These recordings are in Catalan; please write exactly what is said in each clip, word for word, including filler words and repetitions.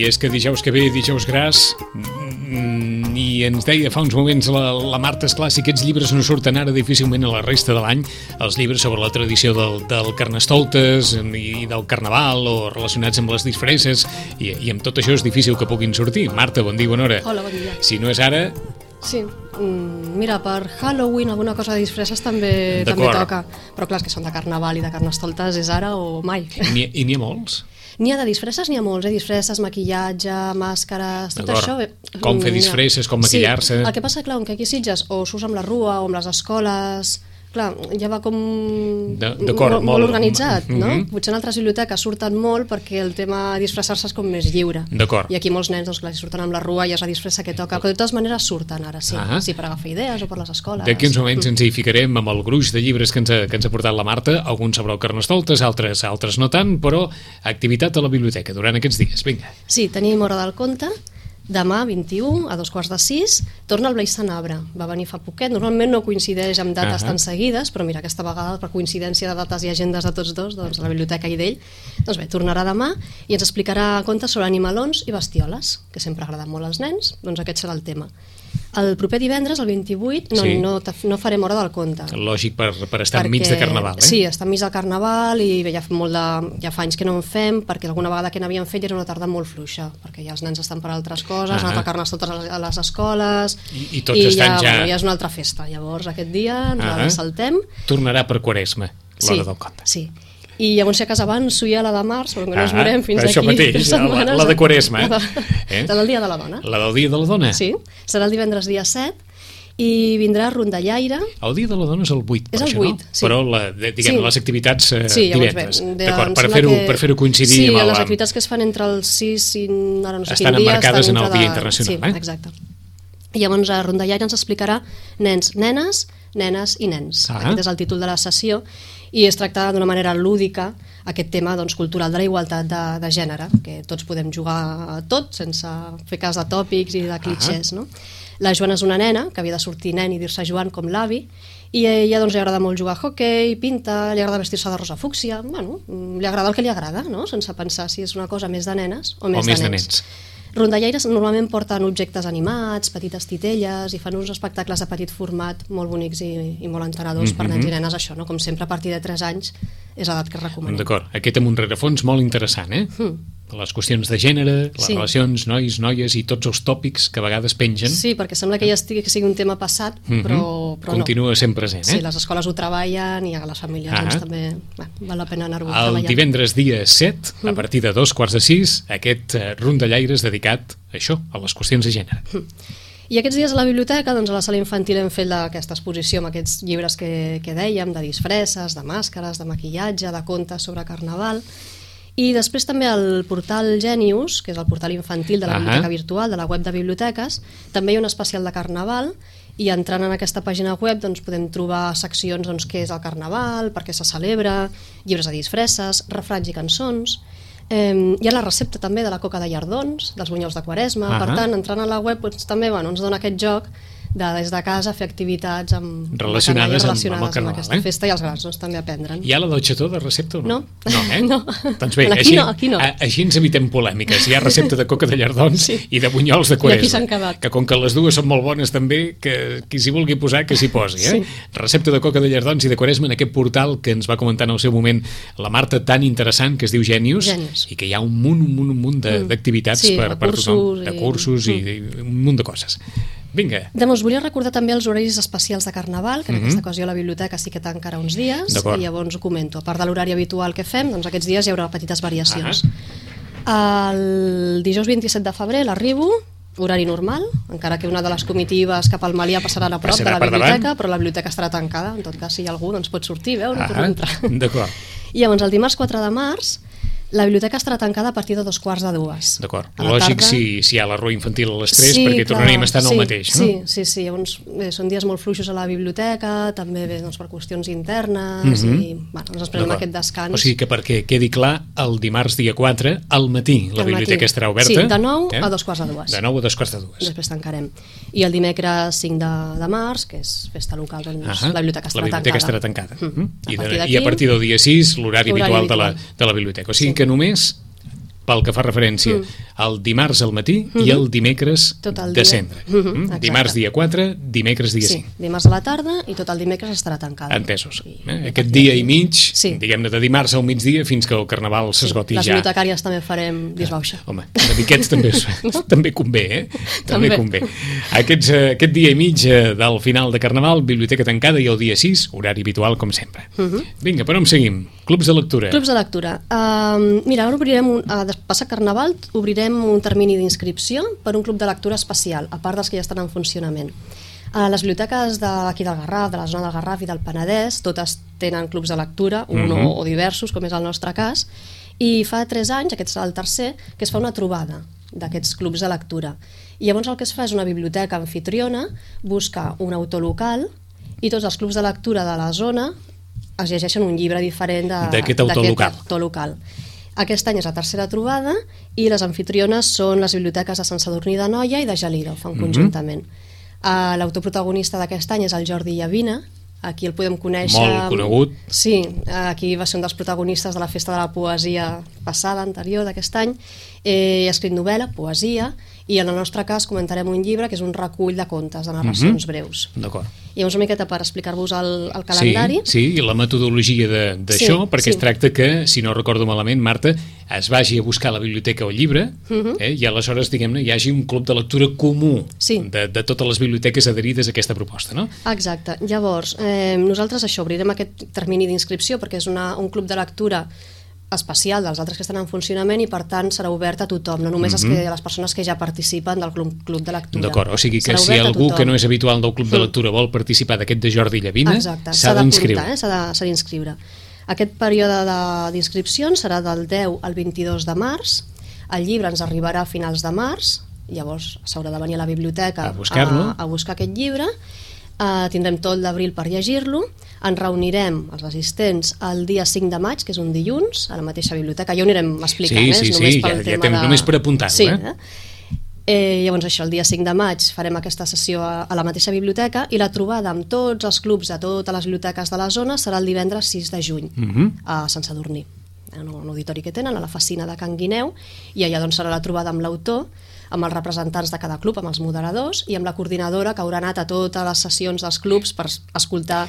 I és que dijous que ve, dijous gras, i ens deia fa uns moments la, la Marta, esclar, si aquests llibres no surten ara difícilment a la resta de l'any, els llibres sobre la tradició del, del Carnestoltes i del Carnaval o relacionats amb les disfresses, i, i amb tot això és difícil que puguin sortir. Marta, bon dia, bona hora. Hola, bon dia. Si no és ara... Sí, mm, mira, per Halloween alguna cosa de disfresses també, també toca, però clar, és que són de Carnaval i de Carnestoltes és ara o mai. I n'hi ha molts? N'hi ha de disfresses, n'hi ha molts, eh? Disfresses, maquillatge, màscares, tot això. Com fer disfresses, com maquillar-se... Sí, el que passa, clar, que aquí a Sitges o s'usa amb la rua o amb les escoles... Clar, ja va com molt, molt, molt organitzat, no? Mm -hmm. Potser en altres biblioteques surten molt perquè el tema disfressar-se és com més lliure. I aquí molts nens, doncs clar, si surten amb la rua i és la disfressa que toca, però de totes maneres surten ara, sí, ah sí per agafar idees o per les escoles. D'aquí uns moments ens hi ficarem amb el gruix de llibres que ens ha, que ens ha portat la Marta, alguns sobre el Carnestoltes, altres, altres no tant, però activitat a la biblioteca durant aquests dies, vinga. Sí, tenim Hora del Conte. Demà, vint-i-u, a dos quarts de sis, torna el Blai Sanabra. Va venir fa poquet, normalment no coincideix amb dates uh -huh. tan seguides, però mira, aquesta vegada, per coincidència de dates i agendes de tots dos, doncs la biblioteca i d'ell, doncs bé, tornarà demà i ens explicarà contes sobre animalons i bestioles, que sempre agraden molt als nens, doncs aquest serà el tema. El proper divendres, el vint-i-vuit, no, sí. no, no farem Hora del Conte. Lògic, per, per estar perquè, enmig de Carnaval, eh? Sí, estar enmig del Carnaval i bé, ja, molt de, ja fa anys que no en fem, perquè alguna vegada que n'havíem fet era una tarda molt fluixa, perquè ja els nens estan per altres coses, han anat a Carnestoltes a les escoles... I, i tots i estan ja... ja... Bueno, ja és una altra festa, llavors aquest dia ens la saltem. Tornarà per Quaresma, l'Hora sí, del Conte. Sí, i llavors si a casa abans s'ho hi ha la de març, però que no ens veurem fins això aquí mateix, tres setmanes. La, la de Quaresma. La, de, eh? la del Dia de la Dona. La del Dia de la Dona? Sí, serà el divendres dia set, i vindrà Rondallaire. El Dia de la Dona és el vuit, per és el això, vuit, no? sí. Però la, diguem, sí. les activitats eh, sí, divendres. Bé, d'acord, per fer-ho que... per fer-ho coincidir sí, amb el... Sí, les activitats que es fan entre els sis i ara no sé estan quin dia... emmarcades estan en el Dia de... Internacional, sí, eh? Exacte. I llavors a Rondallaire ens explicarà nens, nenes, nenes i nens. Ah. Aquest és el títol de la sessió i es tracta d'una manera lúdica aquest tema doncs, cultural de la igualtat de, de gènere, que tots podem jugar a tot sense fer cas de tòpics i de clichés, ah. no? La Joana és una nena, que havia de sortir nen i dir-se Joan com l'avi, i a ella doncs, li agrada molt jugar a hoquei, pinta, li agrada vestir-se de rosa fúcsia, bueno, li agrada el que li agrada, no? Sense pensar si és una cosa més de nenes o més, o més de de nens. nens. Rondallaires normalment porten objectes animats, petites titelles, i fan uns espectacles de petit format molt bonics i, i molt entenedors mm -hmm. per nens i nenes, això, no? Com sempre a partir de tres anys és l'edat que recomanem. D'acord, aquest amb un rerefons molt interessant, eh? Mm. Les qüestions de gènere, les sí. relacions, nois, noies i tots els tòpics que a vegades pengen. Sí, perquè sembla que ja estigui, que sigui un tema passat, mm-hmm. però, però continua no. sent present, eh? Sí, les escoles ho treballen i a les famílies ah. doncs, també bueno, val la pena anar-ho el treballant. El divendres dia set, a partir de dos quarts de sis, aquest uh, Rondallaires dedicat a això, a les qüestions de gènere. Mm. I aquests dies a la biblioteca, doncs a la sala infantil hem fet aquesta exposició amb aquests llibres que, que dèiem, de disfresses, de màscares, de maquillatge, de contes sobre Carnaval. I després també el portal Genius, que és el portal infantil de la biblioteca uh -huh. virtual, de la web de biblioteques, també hi ha un especial de Carnaval, i entrant en aquesta pàgina web doncs, podem trobar seccions doncs, què és el Carnaval, per què se celebra, llibres de disfresses, refranys i cançons. Eh, hi ha la recepta també de la coca de llardons, dels bunyols de Quaresma, uh -huh. per tant, entrant a la web doncs, també bueno, ens dona aquest joc de des de casa fer activitats amb, relacionades, amb, relacionades amb, amb, el Carnaval, amb aquesta eh? festa i els grans doncs, també aprendran. Hi ha la del xató de recepta o no? No, no, eh? no. Doncs bé, aquí així, no, aquí no. A, així ens evitem polèmiques. Hi ha recepta de coca de llardons sí. i de bunyols de Quaresma. I aquí s'han quedat. Que com que les dues són molt bones també, que qui s'hi vulgui posar que s'hi posi, eh? Sí. Recepta de coca de llardons i de Quaresma en aquest portal que ens va comentar en el seu moment la Marta, tan interessant, que es diu Genius, Genius. i que hi ha un munt, un munt, un munt d'activitats sí, per, per tothom, de cursos i, mm. i un munt de coses. Vinga. Doncs volia recordar també els horaris especials de Carnaval, que en mm -hmm. aquesta ocasió a la biblioteca sí que tancarà uns dies, i llavors ho comento. A part de l'horari habitual que fem, doncs aquests dies hi haurà petites variacions. Ah. El dijous vint-i-set de febrer l'arribo, horari normal, encara que una de les comitives cap al Malià passarà a prop passarà de la biblioteca, davant. Però la biblioteca estarà tancada, en tot cas si hi ha algú doncs pot sortir, veu, no ah, torna a entrar. D'acord. I llavors el dimarts quatre de març la biblioteca estarà tancada a partir de dos quarts de dues. D'acord. Lògic tarda... si, si hi ha la rua infantil a les tres, sí, perquè clar, tornarem a estar en sí, el mateix, no? Sí, sí, sí. Llavors, bé, són dies molt fluixos a la biblioteca, també bé, doncs, per qüestions internes, mm -hmm. i bueno, ens esperem aquest descans. O sigui que perquè quedi clar, el dimarts dia quatre, al matí, la al biblioteca matí. estarà oberta. Sí, de nou eh? a dos quarts de dues. De nou a dos quarts de dues. Després tancarem. I el dimecres cinc de, de març, que és festa local, doncs uh -huh. la biblioteca estarà la biblioteca tancada. estarà tancada. Mm -hmm. a I, de, I a partir del dia sis, l'horari habitual, habitual de la, de la biblioteca. O sigui sí. que només pel que fa referència mm. el dimarts al matí mm-hmm. i el dimecres tot el de dia. cendre. Mm-hmm, dimarts dia quatre, dimecres dia sí, cinc. Dimarts a la tarda i tot el dimecres estarà tancada. Entesos. Eh? Aquest dia i mig, sí. diguem-ne, de dimarts al migdia fins que el carnaval s'esgoti sí. ja. Les bibliotecàries també farem disbauxa. Home, una miquets també, no? també convé, eh? També, també convé. Aquests, aquest dia i mig del final de carnaval, biblioteca tancada, i el dia sis, horari habitual, com sempre. Uh-huh. Vinga, per on seguim? Clubs de lectura. Clubs de lectura. Uh, mira, ara obrirem, un, uh, passat carnaval, obrirem un termini d'inscripció per un club de lectura especial, a part dels que ja estan en funcionament. A les biblioteques d'aquí del Garraf, de la zona del Garraf i del Penedès, totes tenen clubs de lectura, un uh-huh. o, o diversos, com és el nostre cas, i fa tres anys, aquest serà el tercer, que es fa una trobada d'aquests clubs de lectura. I llavors el que es fa és una biblioteca anfitriona, busca un autor local i tots els clubs de lectura de la zona es llegeixen un llibre diferent d'aquest autor, autor local. Aquest any és la tercera trobada i les anfitriones són les biblioteques de Sant Sadurní d'Anoia i de Gelida, ho fan mm-hmm. conjuntament. Uh, L'autor protagonista d'aquest any és el Jordi Llavina, aquí el podem conèixer... Molt conegut. Sí, aquí va ser un dels protagonistes de la Festa de la Poesia passada, anterior, d'aquest any. Eh, ha escrit novel·la, poesia, i en el nostre cas comentarem un llibre que és un recull de contes, de narracions mm-hmm. breus. D'acord. I llavors una miqueta per explicar-vos el, el calendari. Sí, sí, i la metodologia d'això, sí, perquè sí. es tracta que, si no recordo malament, Marta, es vagi a buscar a la biblioteca el llibre mm-hmm. eh, i aleshores, diguem-ne, hi hagi un club de lectura comú sí. de, de totes les biblioteques adherides a aquesta proposta, no? Exacte. Llavors, eh, nosaltres això, obrirem aquest termini d'inscripció perquè és una, un club de lectura especial dels altres que estan en funcionament i per tant serà obert a tothom, no només mm-hmm. a les persones que ja participen del club, club de lectura. D'acord, o sigui que si algú que no és habitual del club de lectura vol participar d'aquest de Jordi Llavina, s'ha d'inscriure. Eh? S'ha d'inscriure. Aquest període d'inscripcions serà del deu al vint-i-dos de març, el llibre ens arribarà a finals de març, llavors s'haurà de venir a la biblioteca a buscar-lo, a, a buscar aquest llibre. Uh, tindrem tot l'abril per llegir-lo, ens reunirem els assistents el dia cinc de maig, que és un dilluns, a la mateixa biblioteca, ja ho anirem explicant, sí, sí, eh? només sí, pel ja, tema ja tem, de... només per apuntar-ho. Sí, eh? Eh? Eh, llavors això, el dia cinc de maig farem aquesta sessió a, a la mateixa biblioteca i la trobada amb tots els clubs de totes les biblioteques de la zona serà el divendres sis de juny, uh-huh. a Sant Sadurní, en un auditori que tenen, a la Facina de Can Guineu, i allà doncs serà la trobada amb l'autor, amb els representants de cada club, amb els moderadors i amb la coordinadora que haurà anat a totes les sessions dels clubs per escoltar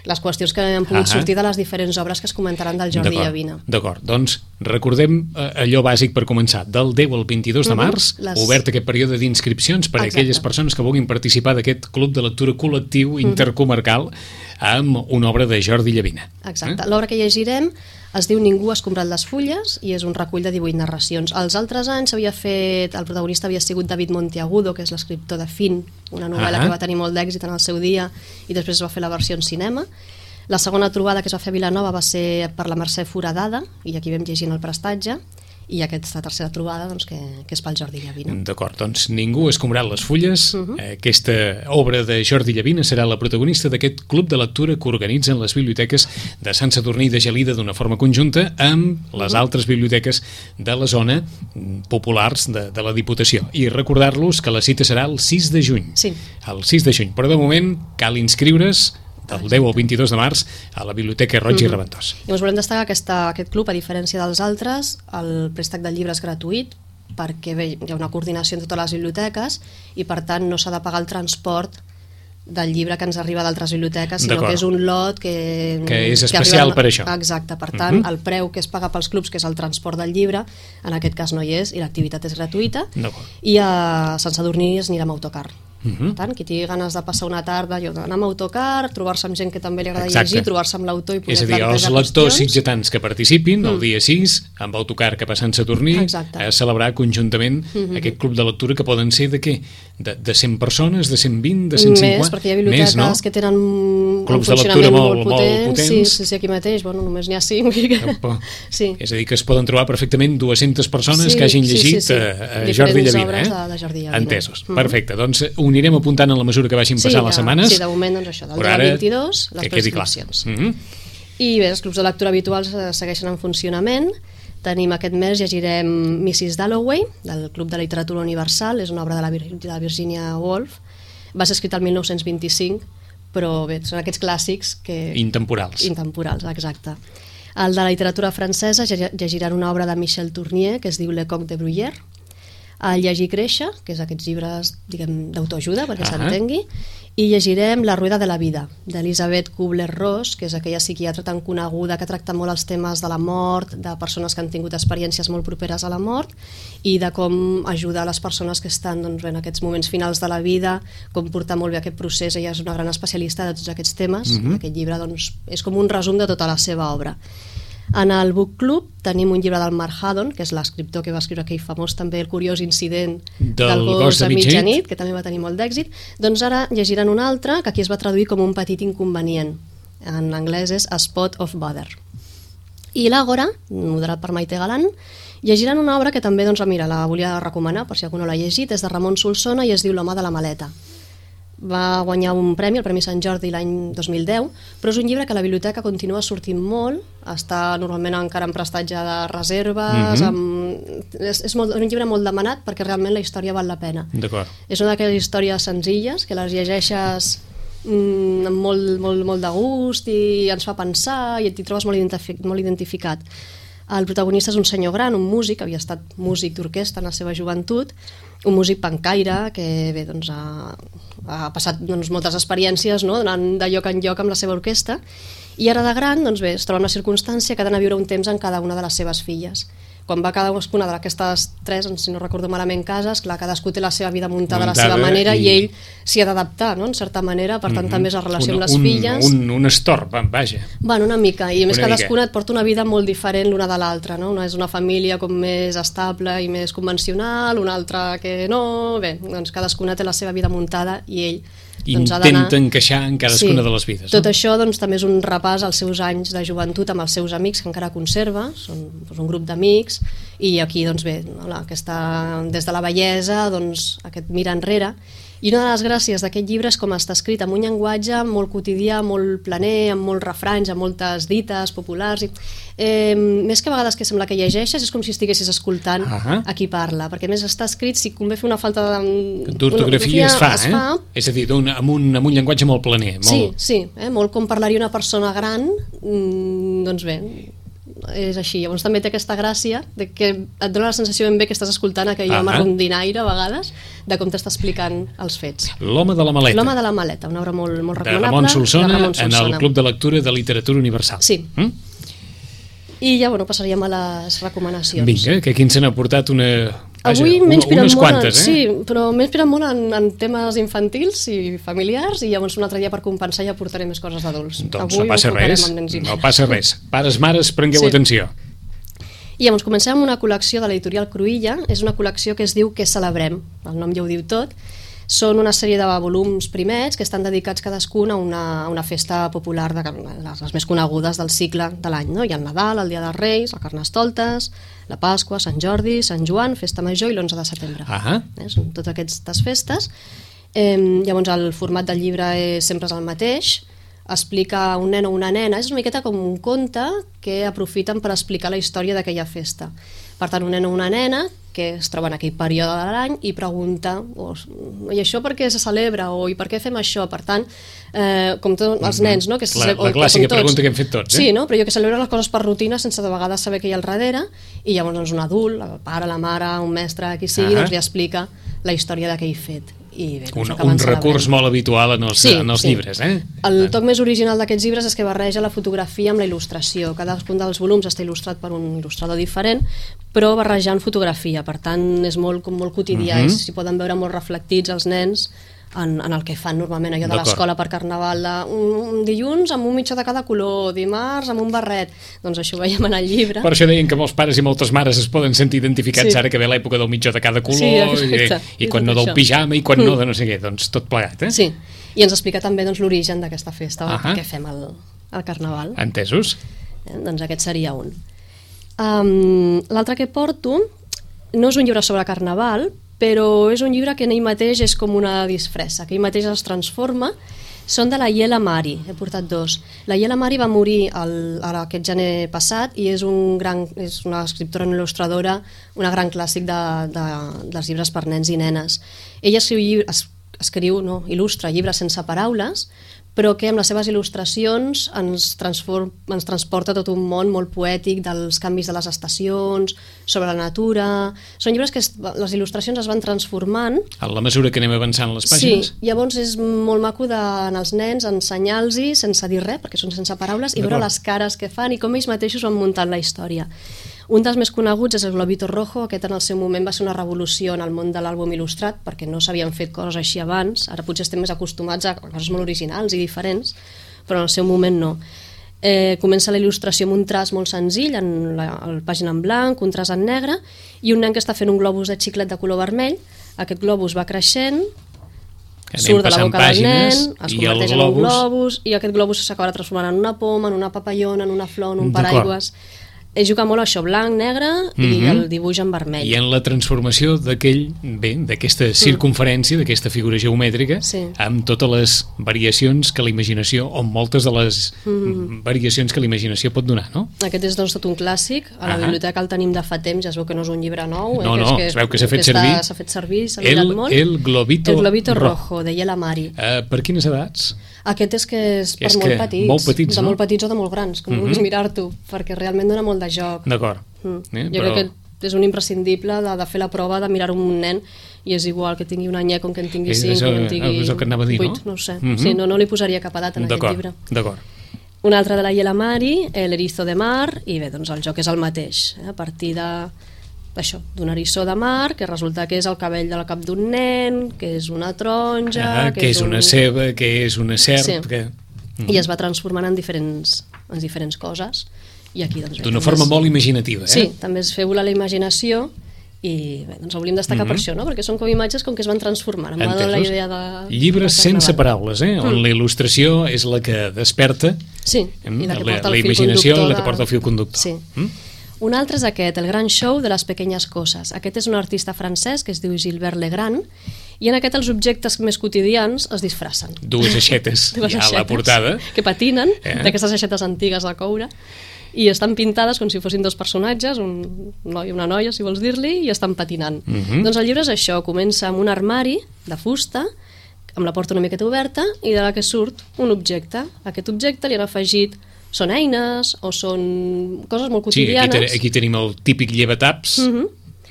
les qüestions que han pogut uh-huh. sortir de les diferents obres que es comentaran del Jordi Llavina. D'acord, doncs recordem allò bàsic per començar, del deu al vint-i-dos de març, uh-huh. les... obert aquest període d'inscripcions per a aquelles persones que vulguin participar d'aquest club de lectura col·lectiu uh-huh. intercomarcal amb una obra de Jordi Llavina. Exacte, eh? L'obra que llegirem es diu Ningú ha escombrat les fulles i és un recull de divuit narracions. Els altres anys s'havia fet, el protagonista havia sigut David Monteagudo, que és l'escriptor de Fin, una novel·la uh-huh. que va tenir molt d'èxit en el seu dia i després es va fer la versió en cinema. La segona trobada que es va fer a Vilanova va ser per la Mercè Foradada i aquí vam llegint el prestatge, i aquesta tercera trobada doncs, que, que és pel Jordi Llavina. D'acord, doncs Ningú ha escombrat les fulles. Uh-huh. Aquesta obra de Jordi Llavina serà la protagonista d'aquest club de lectura que organitzen les biblioteques de Sant Sadurní i de Gelida d'una forma conjunta amb les uh-huh. altres biblioteques de la zona populars de, de la Diputació. I recordar-los que la cita serà el sis de juny. Sí. El sis de juny, però de moment cal inscriure's del deu al vint-i-dos de març a la Biblioteca Roig mm-hmm. i Reventós. Llavors volem destacar aquesta, aquest club, a diferència dels altres, el préstec del llibre és gratuït perquè bé, hi ha una coordinació en totes les biblioteques i per tant no s'ha de pagar el transport del llibre que ens arriba d'altres biblioteques, sinó que és un lot que... Que és especial que per això. Exacte, per tant, mm-hmm. el preu que es paga pels clubs, que és el transport del llibre, en aquest cas no hi és, i l'activitat és gratuïta, i a Sant Sadurní es anirà amb autocar. Uh-huh. Per tant, qui tingui ganes de passar una tarda anar amb autocar, trobar-se amb gent que també li agrada Exacte. llegir, trobar-se amb l'autor i poder plantejar qüestions. És a dir, els lectors sitgetans que participin mm. el dia sis, amb autocar cap a Sant Sadurní, Exacte. a celebrar conjuntament mm-hmm. aquest club de lectura que poden ser de què? De, de cent persones, de cent vint, de cent cinquanta? Més, perquè hi ha biblioteques Més, no? que tenen clubs de lectura molt, molt, potents. molt potents. Sí, sí, sí, aquí mateix, bueno, només n'hi ha cinc. sí. És a dir, que es poden trobar perfectament dues-centes persones sí, que hagin llegit sí, sí, sí. a, a Jordi Llavina. Eh? De, de Jordi Llavina. Entesos, mm. perfecte. Doncs ho anirem apuntant en la mesura que vagin passant sí, les setmanes. Sí, de moment, doncs això, del dia vint-i-dos, les prescripcions. Mm-hmm. I bé, els clubs de lectura habituals segueixen en funcionament. Tenim aquest mes, llegirem missus Dalloway, del Club de Literatura Universal, és una obra de la, Vir de la Virginia Woolf. Va ser escrita el mil nou-cents vint-i-cinc, però bé, són aquests clàssics que... Intemporals. Intemporals, exacte. El de la literatura francesa llegiran una obra de Michel Tournier que es diu Le Coq de Bruyère. El Llegir i créixer, que és aquests llibres, diguem, d'autoajuda, perquè Ah. s'entengui, i llegirem La rueda de la vida, d'Elisabeth Kubler-Ross, que és aquella psiquiatra tan coneguda que tracta molt els temes de la mort, de persones que han tingut experiències molt properes a la mort i de com ajudar les persones que estan doncs, en aquests moments finals de la vida, com portar molt bé aquest procés. Ella és una gran especialista de tots aquests temes. Mhm. Aquest llibre doncs, és com un resum de tota la seva obra. En el Book Club tenim un llibre del Mark Haddon, que és l'escriptor que va escriure aquell famós també El curiós incident Del del gos gos de a mitjanit, mitjanit, que també va tenir molt d'èxit. Doncs ara llegiran un altre, que aquí es va traduir com Un petit inconvenient. En anglès és A Spot of Bother. I l'Àgora, moderat per Maite Galán, llegiran una obra que també, doncs, mira, la volia recomanar, per si algú no l'ha llegit, és de Ramon Solsona i es diu L'home de la maleta. Va guanyar un premi, el Premi Sant Jordi, l'any dos mil deu, però és un llibre que a la biblioteca continua sortint molt, està normalment encara en prestatge de reserves, Mhm. amb... és, és, molt, és un llibre molt demanat perquè realment la història val la pena. D'acord. És una d'aquelles històries senzilles que les llegeixes mm, amb molt, molt, molt de gust i ens fa pensar i t'hi trobes molt, identific, molt identificat. El protagonista és un senyor gran, un músic, havia estat músic d'orquestra en la seva joventut, un músic pancaire que bé, doncs, ha, ha passat doncs, moltes experiències, no? Anant de lloc en lloc amb la seva orquestra, i ara de gran doncs, bé, es troba en una circumstància que ha d'anar a viure un temps en cada una de les seves filles. Quan va cadascuna d'aquestes tres, si no recordo malament, cases, clar, cadascú té la seva vida muntada, Muntada a la seva manera i, i ell s'hi ha d'adaptar, no? En certa manera, per tant Mhm. també és la relació un, amb les un, filles. Un, un estorb, vaja. Bueno, una mica, i a més Una cadascuna mica. et porta una vida molt diferent l'una de l'altra, no? Una és una família com més estable i més convencional, una altra que no, bé, doncs cadascuna té la seva vida muntada i ell doncs, ha d'anar... Intenta encaixar en cadascuna Sí. de les vides. Tot no? això doncs, també és un repàs als seus anys de joventut amb els seus amics que encara conserva, són doncs, un grup d'amics, i aquí doncs, bé, no, la, aquesta, des de la bellesa doncs, aquest mirar enrere. I una de les gràcies d'aquest llibre és com està escrit amb un llenguatge molt quotidià, molt planer, amb molts refranys, amb moltes dites populars. I, eh, més que a vegades que sembla que llegeixes, és com si estiguessis escoltant Ahà. a qui parla, perquè a més està escrit, si convé fer una falta de... D'ortografia es fa, es eh? fa, És a dir, un, amb, un, amb un llenguatge molt planer. Molt... Sí, sí, eh? molt com parlaria una persona gran, mm, doncs bé, és així. Llavors també té aquesta gràcia de que et dona la sensació ben bé que estàs escoltant aquell home Ahà. rondinaire a vegades, de com t'està explicant els fets. L'home de la maleta. L'home de la maleta, una obra molt, molt de recomanable. Ramon Solsona, de Ramon en el Solsona. Club de Lectura de Literatura Universal. Sí. Mm? I ja, bueno, passaríem a les recomanacions. Vinga, que aquí ens n'ha portat una... Avui Vaja, m'he inspirat unes molt, quantes, en, eh? sí, però m'he inspirat molt en, en temes infantils i familiars, i llavors un altre dia per compensar ja portaré més coses d'adults. Doncs Avui no passa ho enfocarem res, amb nens i no nenes. passa res. Pares, mares, prengueu Sí. atenció. I llavors comencem amb una col·lecció de l'editorial Cruïlla. És una col·lecció que es diu Què celebrem? El nom ja ho diu tot. Són una sèrie de volums primets que estan dedicats cadascun a una, a una festa popular, de les, les més conegudes del cicle de l'any. No? Hi ha el Nadal, el Dia dels Reis, el Carnestoltes, la Pasqua, Sant Jordi, Sant Joan, Festa Major i l'onze de setembre. Ahà. Eh? Són totes aquestes festes. Eh, llavors el format del llibre és, sempre és el mateix, explica un nen o una nena, és una miqueta com un conte que aprofiten per explicar la història d'aquella festa. Per tant, un nen o una nena que es troba en aquell període de l'any i pregunta oh, i això per què se celebra o i per què fem això? Per tant, eh, com tots els nens, no? Que se, La, o, la clàssica com tots. pregunta que hem fet tots, eh? Sí, no? Però jo que celebro les coses per rutina sense de vegades saber què hi ha al darrere, i llavors doncs, un adult, el pare, la mare, un mestre, qui sigui, Ahà. doncs li explica la història d'aquell fet. I bé, doncs Un, acaben un recurs celebrant. molt habitual en els, Sí, en els sí. llibres, eh? El toc més original d'aquests llibres és que barreja la fotografia amb la il·lustració. Cadascun dels volums està il·lustrat per un il·lustrador diferent, però barrejant fotografia. Per tant, és molt, com molt quotidià. Mhm. Uh -huh. S'hi poden veure molt reflectits els nens en, en el que fan normalment allò de D'acord. l'escola per Carnaval, de, un, un dilluns amb un mitjà de cada color, dimarts amb un barret. Doncs això ho veiem en el llibre. Per això deien que molts pares i moltes mares es poden sentir identificats Sí. ara que ve l'època del mitjà de cada color, Sí, exacte. i, i quan És no del això. pijama i quan Mm. no de no sé què, doncs tot plegat, eh? Sí, i ens explica també doncs, l'origen d'aquesta festa, Ahà. per què fem el, el Carnaval. Entesos? Eh? Doncs aquest seria un. Um, L'altre que porto no és un llibre sobre Carnaval, però és un llibre que en ell mateix és com una disfressa, que ell mateix es transforma. Són de la Yela Mari, he portat dos. La Yela Mari va morir el, aquest gener passat i és, un gran, és una escriptora i il·lustradora, una gran clàssic de, de, dels llibres per nens i nenes. Ella escriu, es, escriu no, il·lustra llibres sense paraules, però que amb les seves il·lustracions ens, transform, ens transporta tot un món molt poètic dels canvis de les estacions, sobre la natura... Són llibres que es, les il·lustracions es van transformant. A la mesura que anem avançant les pàgines? Sí, llavors és molt maco d'anar als nens, ensenyar-los sense dir res, perquè són sense paraules, i veure les cares que fan i com ells mateixos van muntant la història. Un dels més coneguts és el Globito Rojo, aquest en el seu moment va ser una revolució en el món de l'àlbum il·lustrat, perquè no s'havien fet coses així abans, ara potser estem més acostumats a coses molt originals i diferents, però en el seu moment no. Eh, comença la il·lustració amb un traç molt senzill, en la, la pàgina en blanc, un traç en negre, i un nen que està fent un globus de xiclet de color vermell. Aquest globus va creixent, Anem surt de la boca del nen, es globus... converteix en un globus, i aquest globus s'acabarà transformant en una poma, en una papallona, en una flor, en un paraigües... Ell juga molt a això, blanc, negre i mm-hmm. el dibuix en vermell. I en la transformació d'aquell, bé, d'aquesta circunferència, mm. d'aquesta figura geomètrica, sí. amb totes les variacions que la imaginació, o moltes de les mm. variacions que la imaginació pot donar, no? Aquest és doncs tot un clàssic, a la ah. biblioteca el tenim de fa temps, ja es veu que no és un llibre nou. No, eh, no, que és es veu que s'ha fet que servir. S'ha fet servir, s'ha mirat molt. El Globito, el Globito Rojo, Rojo de Yela Mari. Uh, per quines edats? Aquest és que és per és molt petits, molt petits, de no? molt petits o de molt grans, com mm-hmm. vulguis mirar-t'ho, perquè realment dona molt de joc. D'acord. Mm. Eh, jo però... crec que és un imprescindible de, de fer la prova de mirar un nen i és igual que tingui un anyet com que en tingui cinc, com que en tingui és el que anava a dir, vuit, no? no ho sé. Mm-hmm. Sí, no, no li posaria cap edat en aquest llibre. D'acord. Un altre de la Yela Mari, l'Erizo de Mar, i bé, doncs el joc és el mateix, eh? A partir de això, d'un eriçó de mar, que resulta que és el cabell del cap d'un nen, que és una taronja... Ah, que, que és, és un... una ceba, que és una serp... Sí. Que... Mm. I es va transformant en diferents, en diferents coses. I aquí, doncs, d'una forma és... molt imaginativa, eh? Sí, també es feu la imaginació i bé, doncs hauríem destacar mm-hmm. per això, no? Perquè són com imatges com que es van transformant. Em va donar la idea de... Llibres de sense paraules, eh? Mm. On la il·lustració és la que desperta sí, i la que porta la, el la imaginació de... i la que porta el fil conductor. Sí. Mm? Un altre és aquest, el gran show de les pequeñas coses. Aquest és un artista francès que es diu Gilbert Legrand i en aquest els objectes més quotidians es disfressen. Dues aixetes Dues ja aixetes, a la portada. Que patinen, eh? d'aquestes aixetes antigues de coure, i estan pintades com si fossin dos personatges, un noi i una noia, si vols dir-li, i estan patinant. Uh-huh. Doncs el llibre és això, comença amb un armari de fusta, amb la porta una miqueta oberta, i de la que surt un objecte. Aquest objecte li han afegit són eines o són coses molt quotidianes. Sí, aquí, aquí tenim el típic llevataps. Uh-huh.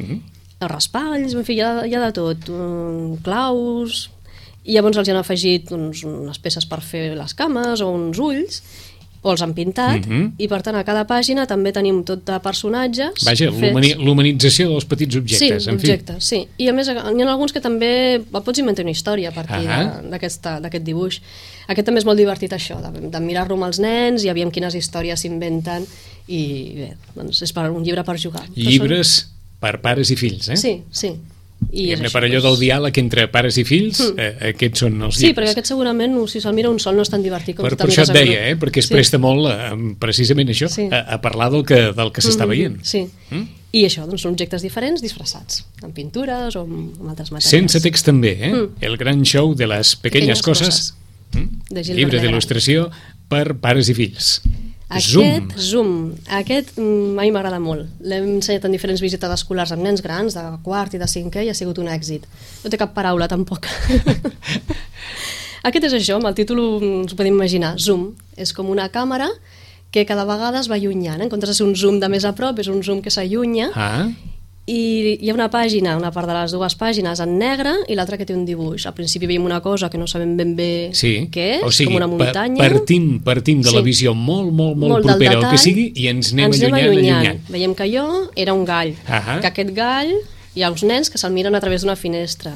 Uh-huh. Els raspalls, en fi, hi ha, hi ha de tot. Um, claus... I llavors els hi han afegit doncs, unes peces per fer les cames o uns ulls, o els han pintat, uh-huh. i per tant a cada pàgina també tenim tot de personatges. Vaja, l'humanització dels petits objectes. Sí, en objectes, fi. sí. I a més hi ha alguns que també pots inventar una història a partir uh-huh. d'aquest dibuix. Aquest també és molt divertit això, de, de mirar-lo amb els nens i aviam quines històries s'inventen i bé, doncs és per un llibre per jugar. Llibres són... per pares i fills, eh? Sí, sí. I això, per allò doncs... del diàleg entre pares i fills, mm. eh, aquests són els llibres. Sí, perquè aquest segurament, si se'l mira un sol, no és tan divertit com per, si per això et deia, eh? Perquè es sí. presta molt, eh, precisament això, sí. a, a parlar del que, del que s'està mm-hmm. veient. Sí, mm? I això, doncs són objectes diferents disfressats, amb pintures o amb, amb altres matèries. Sense text també, eh? Mm. El gran show de les pequeñas, pequeñas coses, coses. Mm? De llibre d'il·lustració per pares i fills. Aquest Zoom. Zoom, aquest mai m'agrada molt. L'hem ensenyat en diferents visites escolars amb nens grans, de quart i de cinquè, i ha sigut un èxit. No té cap paraula, tampoc. Aquest és això, amb el títol ens ho podem imaginar, Zoom. És com una càmera que cada vegada es va allunyant. En comptes de ser un zoom de més a prop, és un zoom que s'allunya. Ah. I hi ha una pàgina, una part de les dues pàgines en negre i l'altra que té un dibuix. Al principi veiem una cosa que no sabem ben bé sí. què és, o sigui, com una muntanya. Partim, partim de sí. la visió molt, molt, molt, molt propera al que sigui i ens anem, ens anem allunyant, allunyant. allunyant. Veiem que allò era un gall, uh-huh. que aquest gall hi ha uns nens que se'l miren a través d'una finestra,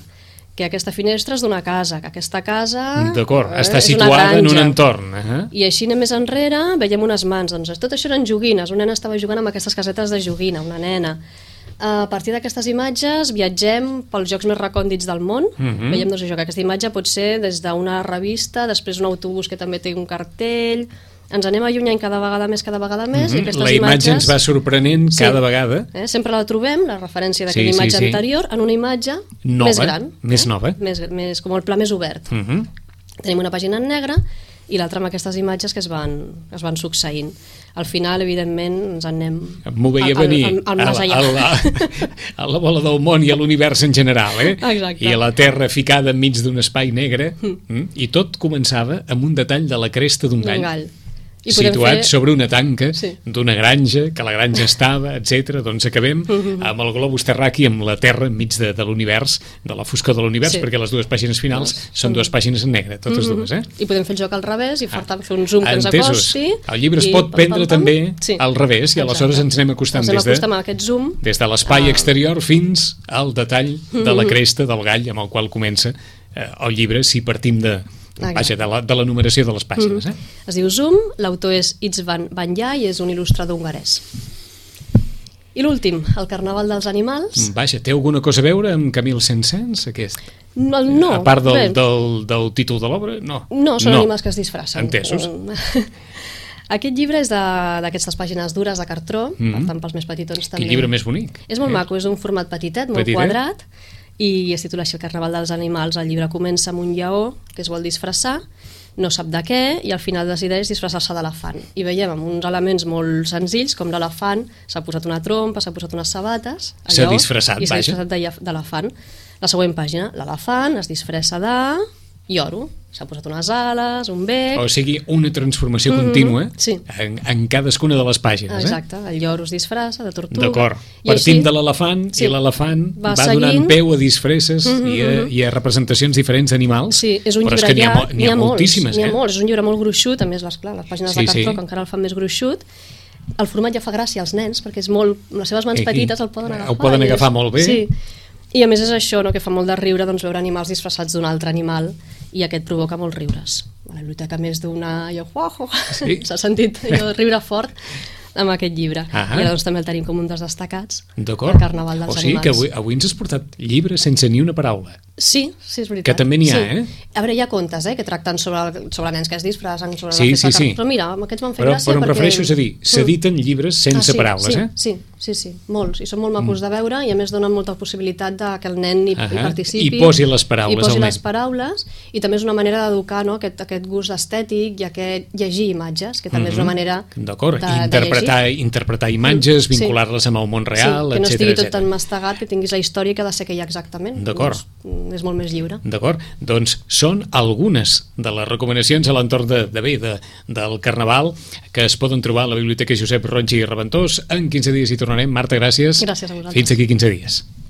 que aquesta finestra és d'una casa, que aquesta casa d'acord, eh, està situada en un entorn. Uh-huh. I així anem més enrere, veiem unes mans. Doncs tot això eren joguines, un nen estava jugant amb aquestes casetes de joguina, una nena. A partir d'aquestes imatges viatgem pels llocs més recòndits del món. Uh-huh. Veiem doncs, això, que aquesta imatge pot ser des d'una revista, després un autobús que també té un cartell. Ens anem allunyant cada vegada més, cada vegada més. Uh-huh. I aquestes la imatge imatges, ens va sorprenent sí, cada vegada. Eh? Sempre la trobem, la referència d'aquella sí, imatge sí, sí. anterior, en una imatge nova, més gran. Més eh? nova. Més, més, com el pla més obert. Uh-huh. Tenim una pàgina en negre i l'altre amb aquestes imatges que es van, es van succeint. Al final, evidentment, ens en anem M'ho veia al, venir al, al, al a, més allà. a, la, a la bola del món i a l'univers en general, eh? Exacte. I a la Terra ficada enmig d'un espai negre, mm. i tot començava amb un detall de la cresta d'un gall. gall. I Situat fer... sobre una tanca sí. d'una granja, que la granja estava, etcètera. Doncs acabem uh-huh. amb el globus terraqui, amb la Terra enmig de, de l'univers, de la foscor de l'univers, sí. perquè les dues pàgines finals no, són dues pàgines en negre, totes uh-huh. dues, eh? I podem fer el joc al revés i per tant fer un zoom que ens Entesos. acosti. El llibre es i pot pam, prendre pam, pam. també sí. al revés, i aleshores ens anem acostant ens anem des de, acostant amb aquest zoom des de l'espai a... exterior fins al detall de la cresta del gall amb el qual comença eh, el llibre, si partim de... Vaja, de la, de la numeració de les pàgines. Mm-hmm. eh? Es diu Zoom, l'autor és István Banyai i és un il·lustrador hongarès. I l'últim, el Carnaval dels Animals. Vaja, té alguna cosa a veure amb Camille Saint-Saëns, aquest? No, no. A part del, bé. del, del títol de l'obra, no. No, són no. animals que es disfracen. Entesos. Aquest llibre és d'aquestes pàgines dures de cartró, mm-hmm. per tant, pels més petitons també. Quin llibre més bonic. És molt eh? maco, és un format petitet, molt Petitet. quadrat, i es titula així El Carnaval dels Animals. El llibre comença amb un lleó que es vol disfressar, no sap de què, i al final decideix disfressar-se d'elefant. I veiem amb uns elements molt senzills, com l'elefant s'ha posat una trompa, s'ha posat unes sabates, s'ha disfressat, i s'ha vaja. disfressat d'elefant. La següent pàgina, l'elefant es disfressa de lloro, s'ha posat unes ales, un bec... O sigui, una transformació mm-hmm. contínua sí. en, en cadascuna de les pàgines. Exacte, eh? el lloro es disfressa de tortuga. D'acord, I partim així, de l'elefant sí, i l'elefant va, va seguint... donant peu a disfresses mm-hmm. i, a, i a representacions diferents d'animals. Sí, és un però llibre és que n'hi ha, llarg, n'hi ha, ha moltíssimes. N'hi ha eh? molts, és un llibre molt gruixut, a més les, clar, les pàgines sí, de cartró sí. que encara el fan més gruixut. El format ja fa gràcia als nens, perquè és molt, amb les seves mans Aquí, petites el poden agafar. Ho poden agafar és, molt bé. Sí. I a més és això, no, que fa molt de riure doncs, veure animals disfressats d'un altre animal, i aquest provoca molts riures. A la biblioteca més d'una... Sí? S'ha sentit allò, riure fort amb aquest llibre. Ah, I ara doncs, també el tenim com un dels destacats del O Carnaval dels Animals. sigui animals. que avui, avui ens has portat llibres sense ni una paraula. Sí, sí, és veritat. Que també n'hi ha, sí. eh? A veure, hi ha contes, eh, que tracten sobre, sobre nens que es disfressen, sobre sí, la festa sí, sí. Però mira, aquests m'han fet però, gràcia però em perquè... refereixo a dir, s'editen llibres sense ah, sí, paraules, sí, eh? Sí, sí, sí, molts. I són molt macos mm. de veure i a més donen molta possibilitat de que el nen hi, hi participi. I posi les paraules I posi al les nen. paraules. I també és una manera d'educar, no?, aquest, aquest gust estètic i aquest llegir imatges, que també mm-hmm. és una manera D'acord, de, interpretar, de interpretar imatges, mm. vincular-les amb el món real, sí, que no etcètera, estigui tot etcètera. tan mastegat, que tinguis la història que ha de ser que hi ha exactament. D'acord. Doncs, és molt més lliure. D'acord, doncs són algunes de les recomanacions a l'entorn de, de bé, de, del Carnaval que es poden trobar a la Biblioteca Josep Roig i Reventós. En quinze dies hi tornarem. Marta, gràcies. Gràcies a vosaltres. Fins aquí quinze dies.